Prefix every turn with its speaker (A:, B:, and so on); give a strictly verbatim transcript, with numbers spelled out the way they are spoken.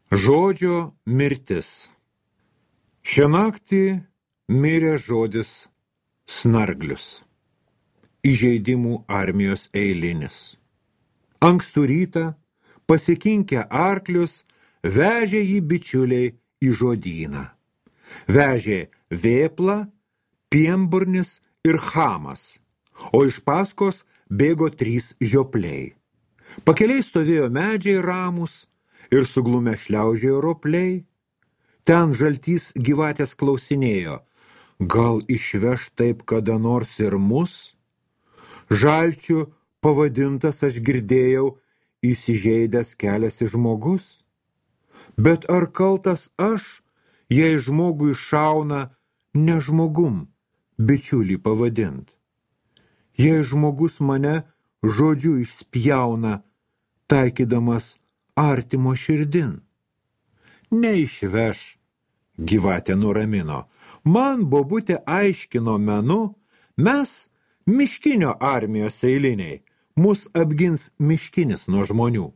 A: Žodžio mirtis. Šią naktį mirė žodis snarglius. Įžeidimų armijos eilinis. Ankstų rytą, pasikinkę arklius, vežė jį bičiuliai į žodyną. Vežė vėpla, pienburnis ir chamas, o iš paskos bėgo trys žiopliai. Pakeliai stovėjo medžiai ramus ir suglumę šliaužiojo ropliai. Ten žaltys gyvatės klausinėjo, gal išveš taip kada nors ir mus? Žalčių pavadintas aš girdėjau, įsižeidęs keliasi žmogus. Bet ar kaltas aš, jei žmogui šauna ne žmogum, bičiulį pavadint? Jei žmogus mane žodžiu išspjauna, taikydamas artimo širdin. Neišveš, gyvatė nuramino. Man bobutė aiškino menu, mes miškinio armijos eiliniai, mus apgins miškinis nuo žmonių.